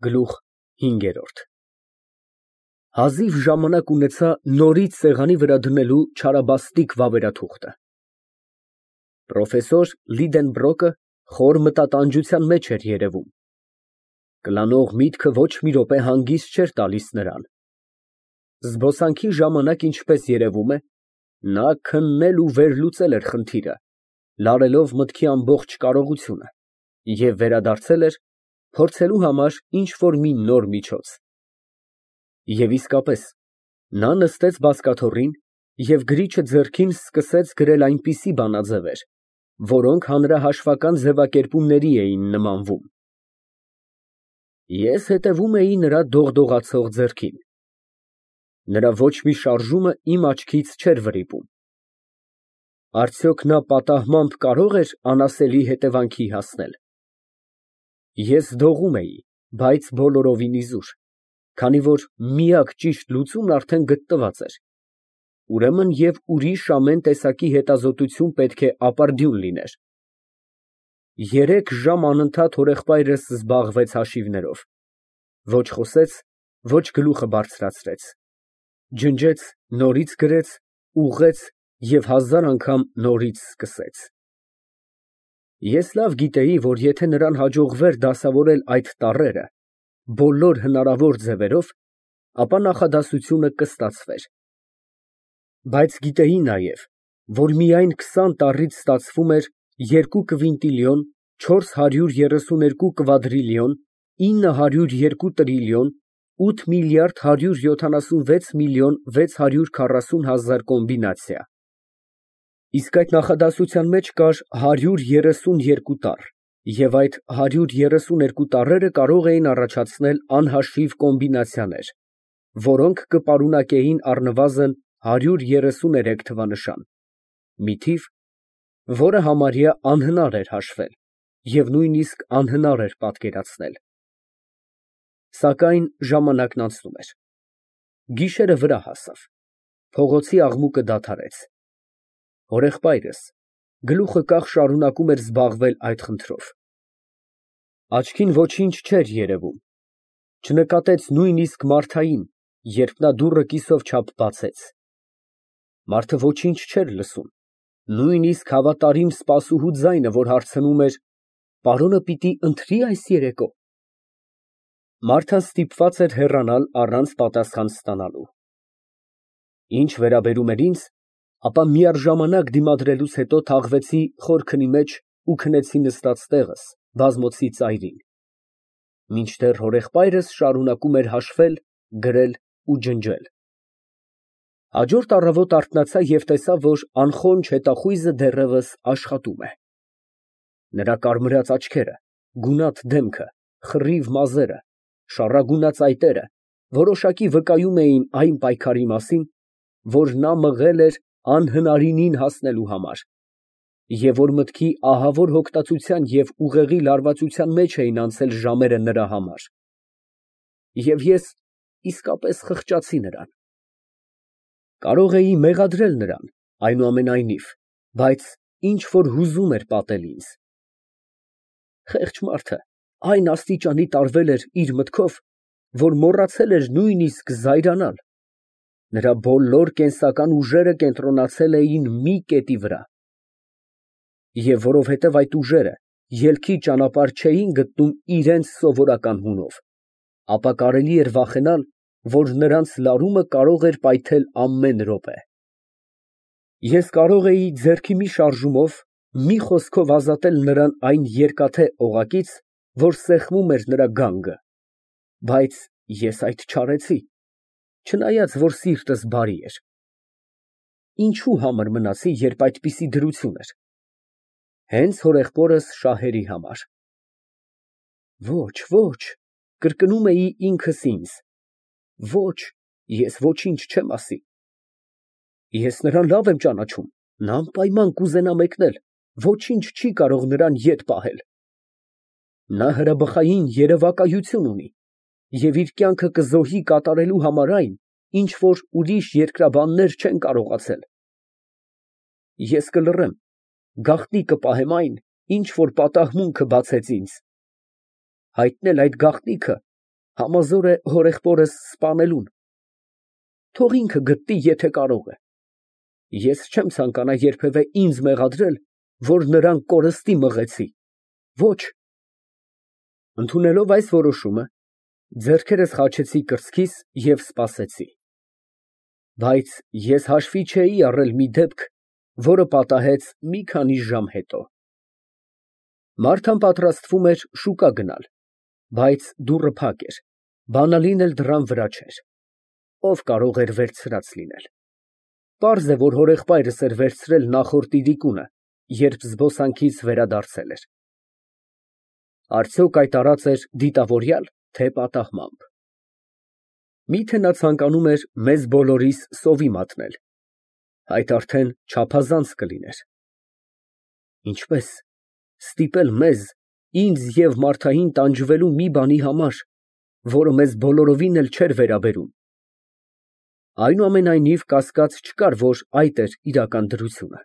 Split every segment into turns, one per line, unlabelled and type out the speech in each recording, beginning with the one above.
Գլուխ 5 Հազիվ ժամանակ ունեցա նորից սեղանի վրա դնելու չարաբաստիկ վավերաթուղթը։ Պրոֆեսոր Լիդենբրոկը խոր մտատանջության մեջ էր երևում։ Կլանող միտքը ոչ մի րոպե հանգիստ չէր տալիս նրան։ Զբոսանքի ժամանակ, ինչպես երևում է, նա քննել ու վերլուծել էր խնդիրը, լարելով մտքի ամբողջ կարողությունը, և վերադարձել էր փորձելու համար ինչ֊որ մի նոր միջոց։ Եվ իսկապես, նա նստեց բազկաթոռին և գրիչը ձեռքին սկսեց գրել այնպիսի բանաձևեր, որոնք հանրահաշվական ձևակերպումների էին նմանվում։ Ես հետևում էի նրա դողդողացող ձեռքին։ Նրա ոչ մի շարժումը իմ աչքից չէր վրիպում։ Արդյոք նա պատահմամբ կարո՞ղ էր անասելի հետևանքի հասնել։ Ես դողում էի, բայց բոլորովին իզուր, քանի որ միակ ճիշտ լուծումն արդեն գտնված էր, ուրեմն և ուրիշ ամեն տեսակի հետազոտություն պետք է ապարդյուն լիներ։ 3 ժամ անընդհատ հորեղբայրս զբաղվեց հաշիվներով, ոչ խոսեց, ոչ գլուխը բարձրացրեց, ջնջեց, նորից գրեց, ուղղեց և 1000 անգամ նորից սկսեց։ Ես լավ գիտեի, որ եթե նրան հաջողվեր դասավորել այդ տառերը բոլոր հնարավոր ձևերով, ապա նախադասությունը կստացվեր։ Բայց գիտեի նաև, որ միայն 20 տառից ստացվում էր 2 կվինտիլիոն 432 կվադրիլիոն 902 տրիլիոն 8 միլիարդ 176 միլիոն 640 հազար կոմբինացիա։ Իսկ այդ նախադասության մեջ կար 132 տառ, և այդ 132 տառերը կարող էին առաջացնել անհաշիվ կոմբինացիաներ, որոնք կպարունակեին առնվազն 133 թվանշան, մի թիվ, որը համարյա անհնար էր հաշվել և նույնիսկ անհնար էր պատկերացնել։ Սակայն ժամանակն անցնում էր։ Գիշերը վրա հասավ, փողոցի աղմուկը դադարեց։ Հորեղբայրս գլուխը կախ շարունակում էր զբաղվել այդ խնդրով։ Աչքին ոչինչ չէր երևում, չնկատեց նույնիսկ Մարթային, երբ նա դուռը կիսով չափ բացեց։ Մարդը ոչինչ չէր լսում, նույնիսկ հավատարիմ սպասուհու ձայնը, որ հարցնում էր. «Պարոնը պիտի ընթրի՞ այս երեկո»։ Մարթան ստիպված էր հեռանալ առանց պատասխան ստանալու։ Ինչ վերաբերում էր ինձ, ապա միառժամանակ դիմադրելուց հետո թաղվեցի խորքնի մեջ ու քնեցի նստած տեղս, բազմոցի ծայրին, մինչդեռ հորեղբայրս շարունակում էր հաշվել, գրել ու ջնջել։ Հաջորդ առավոտ արթնացա և տեսա, որ անխոնջ հետախույզը դեռևս աշխատում է։ Նրա կարմրած աչքերը, գունատ դեմքը, խռիվ մազերը, շառագունած այտերը որոշակի վկայում էին այն պայքարի մասին, որ նա մղել էր անհնարինին հասնելու համար, և որ մտքի ահավոր հոգտածության և ուղեղի լարվածության մեջ էին անցել ժամերը նրա համար։ Եվ ես իսկապես խղճացի նրան։ Կարող էի մեղադրել նրան, այնուամենայնիվ, բայց ինչ֊որ հուզում էր պատել ինձ։ Խեղճ մարդը այն աստիճանի տարվել էր իր մտքով, որ մոռացել էր նույնիսկ զայրանալ։ Նրա բոլոր կենսական ուժերը կենտրոնացել էին մի կետի վրա։ Եվ որովհետև այդ ուժերը ելքի ճանապարհ չէին գտնում իրենց սովորական հունով, ապա կարելի էր վախենալ, որ նրանց լարումը կարող էր պայթել ամեն րոպե։ Ես կարող էի ձեռքի մի շարժումով, մի խոսքով ազատել նրան այն երկաթե օղակից, որ սեղմում էր նրա գանգը, բայց ես այդ չարեցի, չնայած որ սիրտս բարի էր։ Ինչու համր մնացի, երբ այդպիսի դրություն էր։ Հենց հորեղբորս շահերի համար։ Ոչ, ոչ, կրկնում էի ինքս ինձ, ոչ, ես ոչինչ չեմ ասի։ Ես նրան լավ եմ ճանաչում, նա անպայման կուզենա մեկնել, ոչինչ չի կարող նրան ետ պահել։ Նա հրաբխային երևակայություն ունի և իր կյանքը կզոհի կատարելու համար այն, ինչ որ ուրիշ երկրաբաններ չեն կարողացել։ Ես կլռեմ, գաղտնի կպահեմ այն, ինչ որ պատահմունքը բացեց ինձ, հայտնել այդ գաղտնիքը Համազոր է հորեղբորս սպանելուն։ Թող ինքը գտնի, եթե կարող է։ Ես չեմ ցանկանա երբևէ ինձ մեղադրել, որ նրան կորստի մղեցի։ Ոչ։ Ընդունելով այս որոշումը, ձեռքերս խաչեցի կրծքիս և սպասեցի։ Բայց ես հաշվի չէի առել մի դեպք, որը պատահեց մի քանի ժամ հետո։ Մարթան պատրաստվում էր շուկա գնալ, բայց դուռը փակ էր, բանալին էլ դռան վրա չէր։ Ո՞վ կարող էր վերցրած լինել։ Պարզ է, որ հորեղբայրս էր վերցրել նախորդ իրիկունը, երբ զբոսանքից վերադարձել էր։ Արդյոք այդ արած էր դիտավորյալ, թե պատահմամբ։ Միթե նա ցանկանում էր մեզ բոլորիս սովի մատնել, այդ արդեն չափազանց կլիներ։ Ինչպե՞ս ստիպել մեզ, ինձ և Մարթային տանջվելու մի բանի համար, որը մեզ բոլորովին էլ չէր վերաբերում։ Այնուամենայնիվ կասկած չկար, որ այդ էր իրական դրությունը։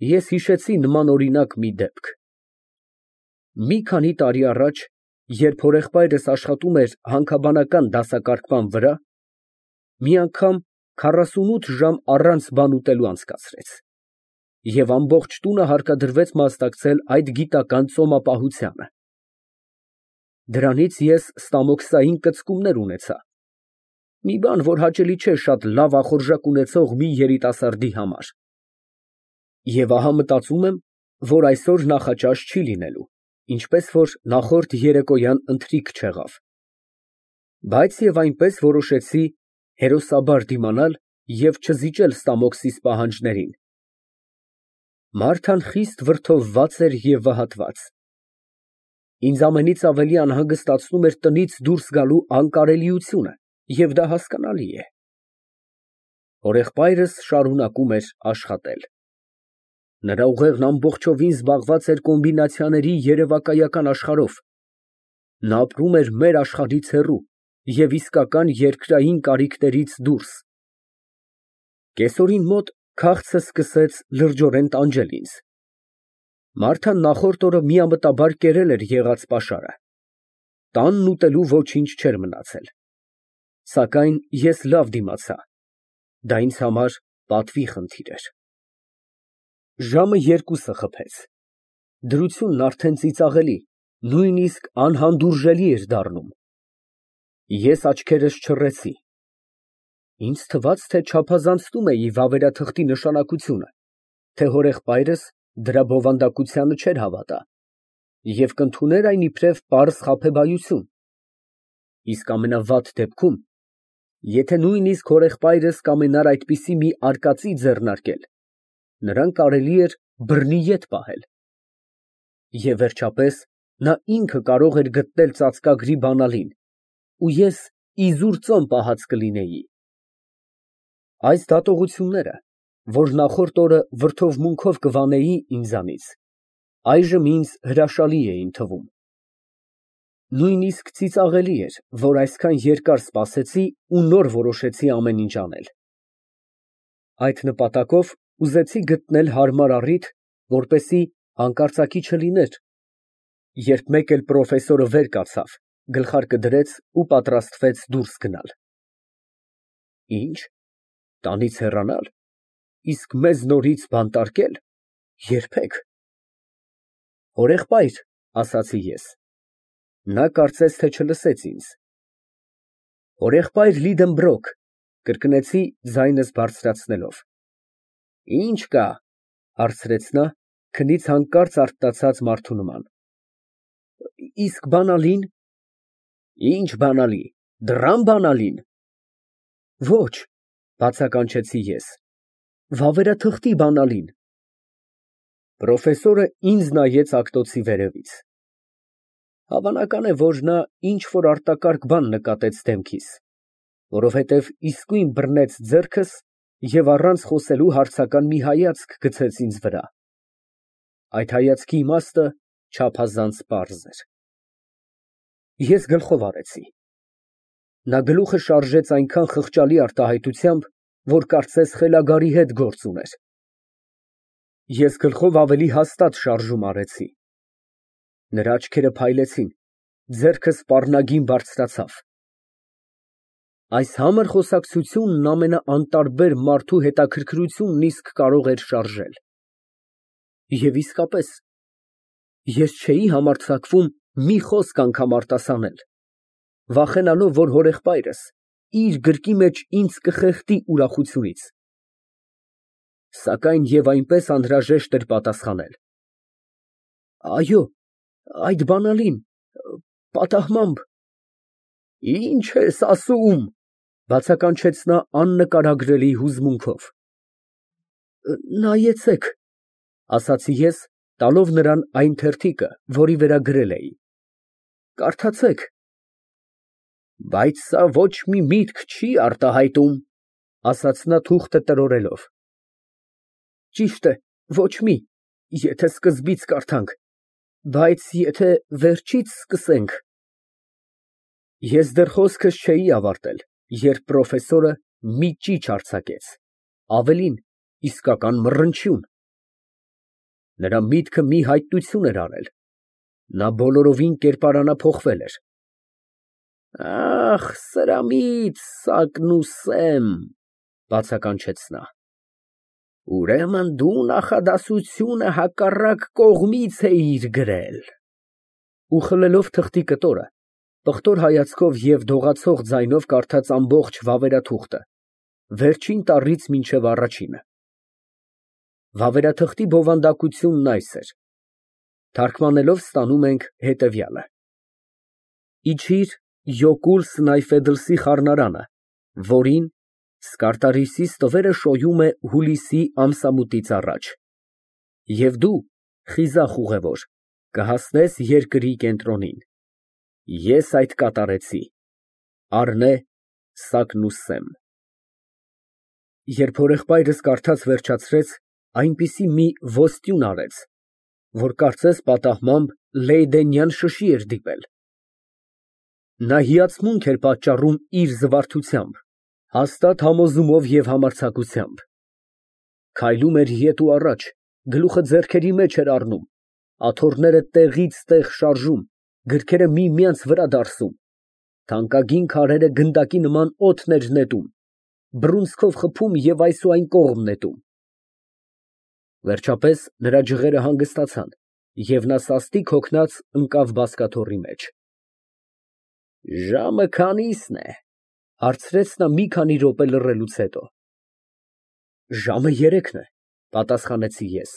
Ես հիշեցի նմանօրինակ մի դեպք։ Մի քանի տարի առաջ, երբ հորեղբայրս աշխատում էր հանքաբանական դասակարգման վրա, մի անգամ 48 ժամ առանց բան ուտելու անցկացրեց, և ամբողջ տունը հարկադրվեց մասնակցել այդ գիտական ծոմապահությանը։ Դրանից ես ստամոքսային կծկումներ ունեցա, մի բան, որ հաճելի չէ շատ լավ ախորժակ ունեցող մի երիտասարդի համար։ Եվ ահա մտածում եմ, որ այսօր նախաճաշ չի լինելու, ինչպես որ նախորդ երեկոյան ընթրիք չեղավ։ Բայց և այնպես որոշեցի հերոսաբար դիմանալ և չզիջել ստամոքսիս պահանջներին։ Մարթան խիստ վրդովված էր և վհատված։ Ինձ ամենից ավելի անհանգստացնում էր տնից դուրս գալու անկարելիությունը, և դա հասկանալի է։ Հորեղբայրս շարունակում էր աշխատել։ Նրա ուղեղն ամբողջովին զբաղված էր կոմբինացիաների երևակայական աշխարհով։ Նա ապրում էր մեր աշխարհից հեռու և իսկական երկրային կարիքներից դուրս։ Կեսօրին մոտ քաղցը սկսեց լրջորեն տանջել ինձ։ Մարթան նախորդ օրը միամտաբար կերել էր եղած պաշարը։ Տանն ուտելու ոչինչ չէր մնացել։ Սակայն ես լավ դիմացա։ Դա ինձ համար պատվի խնդիր էր։ Ժամը 2-ը խփեց։ Դրությունն արդեն ծիծաղելի, նույնիսկ անհանդուրժելի էր դառնում։ Ես աչքերս չռեցի։ Ինձ թվաց, թե չափազանցնում էի վավերաթղթի նշանակությունը, թե հորեղբայրս դրա բովանդակությանը չէր հավատա և կընդուներ այն իբրև պարզ խաբեբայություն։ Իսկ ամենավատ դեպքում, եթե նույնիսկ հորեղբայրս կամենար այդպիսի մի արկածի ձեռնարկել, նրան կարելի էր բռնի ետ պահել։ Եվ վերջապես, նա ինքը կարող էր գտնել ծածկագրի բանալին, ու ես իզուր ծոմ պահած կլինեի։ Այս դատողությունները, որ նախորդ օրը վրդովմունքով կվանեի ինձանից, այժմ ինձ հրաշալի էին թվում։ Նույնիսկ ծիծաղելի էր, որ այսքան երկար սպասեցի ու նոր որոշեցի ամեն ինչ անել։ Այդ նպատակով ուզեցի գտնել հարմար առիթ, որպեսզի հանկարծակի չլիներ, երբ մեկ էլ պրոֆեսորը վեր կացավ, գլխարկը դրեց ու պատրաստվեց դուրս գնալ։ Ի՞նչ, տանից հեռանալ, իսկ մեզ նորից բանտարկե՞լ, երբեք։ Հորեղբայր, ասացի ես։ Նա կարծես թե չլսեց ինձ։ Հորեղբայր Լիդենբրոկ, կրկնեցի ձայնս բարձրացնելով։ Ինչ կա, հարցրեց նա, քնից հանկարծ արթնացած մարդու նման։ Իսկ բանալին։ Ինչ բանալի, դռան բանալին։ Ոչ, բացականչեցի ես, վավերաթղթի բանալին։ Պրոֆեսորը ինձ նայեց ակտոցի վերևից։ Հավանական է, որ նա ինչ֊որ արտակարգ բան նկատեց դեմքիս, որովհետև իսկույն բռնեց ձեռքս և առանց խոսելու հարցական մի հայացք գցեց ինձ վրա։ Այդ հայացքի իմաստը չափազանց պարզ էր։ Ես գլխով արեցի։ Նա գլուխը շարժեց այնքան խղճալի արտահայտությամբ, որ կարծես խելագարի հետ գործ ուներ։ Ես գլխով ավելի հաստատ շարժում արեցի։ Նրա աչքերը փայլեցին, Ձեռքը սպառնագին բարձրացավ։ Այս համր խոսակցությունն ամենաանտարբեր մարդու հետաքրքրությունն իսկ կարող էր շարժել։ Եվ իսկապես, ես չէի համարձակվում մի խոսք անգամ արտասանել, վախենալով, որ հորեղբայրս իր գրկի մեջ ինձ կխեղդի ուրախությունից։ Սակայն և այնպես անհրաժեշտ էր պատասխանել. Այո, այդ բանալին, պատահմամբ։ Ինչ ես ասում, բացականչեց նա աննկարագրելի հուզմունքով։ Նայեցեք, ասացի ես, տալով նրան այն թերթիկը, որի վրա գրել էի, կարդացեք։ Բայց սա ոչ մի միտք չի արտահայտում, ասաց նա թուղթը տրորելով։ Ճիշտ է, ոչ մի, եթե սկզբից կարդանք, բայց եթե վերջից սկսենք… Ես դեռ խոսքս չէի ավարտել, երբ պրոֆեսորը մի ճիչ արձակեց, ավելին, իսկական մռնչյուն։ Նրա միտքը մի հայտնություն էր արել, նա բոլորովին կերպարանափոխվել էր։ Ախ, սրամիտ սակն ու սեմ, բացականչեց նա։ Ուրեմն դու նախադասությունը հակառակ կողմից էիր գրել։ Ու խլելով թղթի կտորը, պղտոր հայացքով և դողացող ձայնով կարդաց ամբողջ վավերաթուղթը, վերջին տառից մինչև առաջինը։ Վավերաթղթի բովանդակությունն այս էր. թարգմանելով ստանում ենք հետևյալը. Իջիր Յոկուլ Սնայֆեդլսի խառնարանը, որին Սկարտարիսի ստվերը շոյում է հուլիսի ամսամուտից առաջ, և դու, խիզախ ուղևոր, կհասնես երկրի կենտրոնին։ Ես այդ կատարեցի։ Առնե Սակն ու Սեմ։ Երբ հորեղբայրս կարդաց վերջացրեց, այնպիսի մի ոսტյուն արեց, որ կարծես պատահմամբ լեյդենյան շշի էր դիպել։ Նա հիացմունք էր պատճառում իր զվարթությամբ, հաստատ համոզումով և համարձակությամբ։ Քայլում էր ետ ու առաջ, գլուխը ձեռքերի մեջ էր առնում, աթոռները տեղից տեղ շարժում, գրքերը միմյանց վրա դարսում, թանկագին քարերը գնդակի նման օդն էր նետում, բռունցքով խփում և այս ու այն կողմ նետում։ Վերջապես նրա ջղերը հանգստացան, և նա սաստիկ հոգնած ընկավ բազկաթոռի մեջ։ Ժամը քանի՞սն է, հարցրեց նա մի քանի րոպե լռելուց հետո։ Ժամը 3-ն է, պատասխանեցի ես։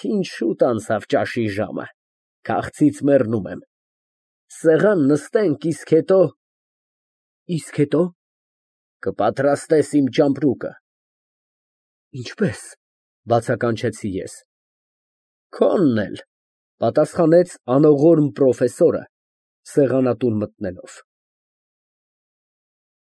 Ինչ շուտ անցավ ճաշի ժամը, քաղցից մեռնում եմ։ Սեղան նստենք, իսկ հետո… Իսկ հետո… Կպատրաստես իմ ճամպրուկը։ Ինչպե՞ս, բացականչեցի ես։ Քոնն էլ, պատասխանեց անողորմ պրոֆեսորը, սեղանատուն մտնելով։